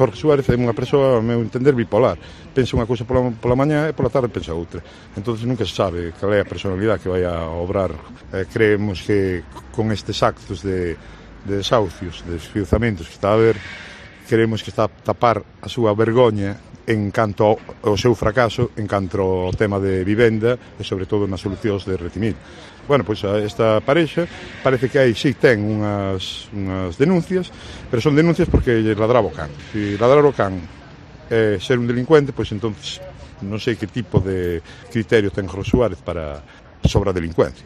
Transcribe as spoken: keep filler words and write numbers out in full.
Jorge Suárez é unha persoa, ao meu entender, bipolar. Pensa unha cousa pola, pola mañá e pola tarde pensa outra. Entón nunca se sabe cal é a personalidade que vai a obrar. Eh, creemos que con estes actos de, de desahucios, de desfiuzamentos que está a haber, queremos que está a tapar a súa vergoña en canto ao, ao seu fracaso, en canto ao tema de vivenda e sobre todo nas solucións de Retimil. Bueno, pois esta parexa parece que aí sí ten unhas, unhas denuncias, pero son denuncias porque lle ladraba o can. Se ladrar o can é ser un delincuente, pois entonces non sei que tipo de criterio ten Jorge Suárez para sobre a delincuencia.